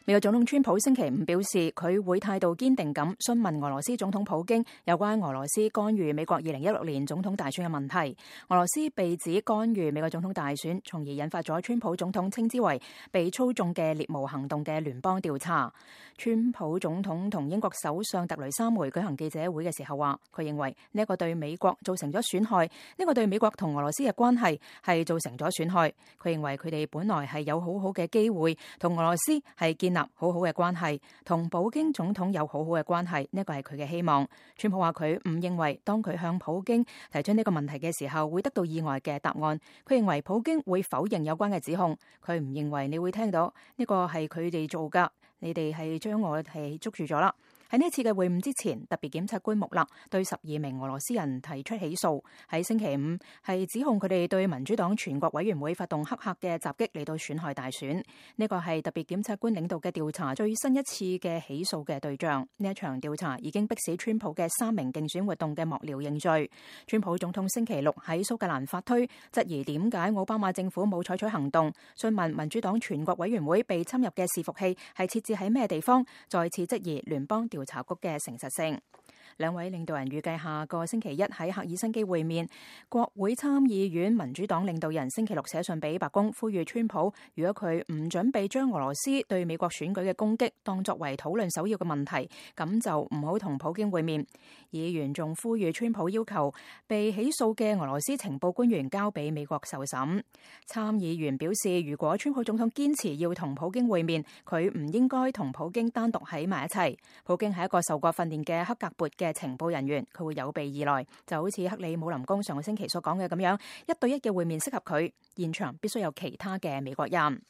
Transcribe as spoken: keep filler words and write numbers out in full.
美國總統川普星期五表示，佢會態度堅定咁詢問俄羅斯總統普京有關俄羅斯干預美國二零一六年總統大選嘅問題。俄羅斯被指干預美國總統大選，從而引發咗川普總統稱之為被操縱嘅獵巫行動嘅聯邦調查。川普總統同英國首相特雷莎梅舉行記者會嘅時候話，佢認為呢一個對美國造成咗損害，呢個對美國同俄羅斯嘅關係係造成咗損害。佢認為佢哋本來係有好好嘅機會同俄羅斯係建立好好嘅關係，同普京總統有好好嘅關係，呢個係佢嘅希望。川普話佢唔認為當佢向普京提出呢個問題嘅時候會得到意外嘅答案，佢認為普京會否認有關嘅指控，佢唔認為你會聽到呢個係佢哋做噶，你哋係將我係捉住咗啦。喺呢次嘅會晤之前，特別檢察官穆勒對十二名俄羅斯人提出起訴，喺星期五係指控佢哋對民主黨全國委員會發動黑客嘅襲擊嚟到損害大選。呢個係特別檢察官領導嘅調查最新一次嘅起訴嘅對象。呢一場調查已經迫使川普嘅三名競選活動嘅幕僚認罪。川普總統星期六喺蘇格蘭發推，質疑點解奧巴馬政府冇採取行動，詢問民主黨全國委員會被侵入嘅伺服器係設置喺咩地方，再次質疑聯邦調查局嘅誠實性。兩位領導人預計下個星期一喺赫爾辛基會面。國會參議院民主黨領導人星期六寫信俾白宮，呼籲川普，如果佢唔準備將俄羅斯對美國選舉嘅攻擊當作為討論首要嘅問題，咁就唔好同普京會面。議員仲呼籲川普要求被起訴嘅俄羅斯情報官員交俾美國受審。參議員表示，如果川普總統堅持要同普京會面，佢唔應該同普京單獨喺埋一齊。普京係一個受過訓練嘅克格勃嘅情報人員，佢會有備而來，就好似克里姆林宮上個星期所講嘅咁樣，一對一嘅會面適合佢，現場必須有其他嘅美國人。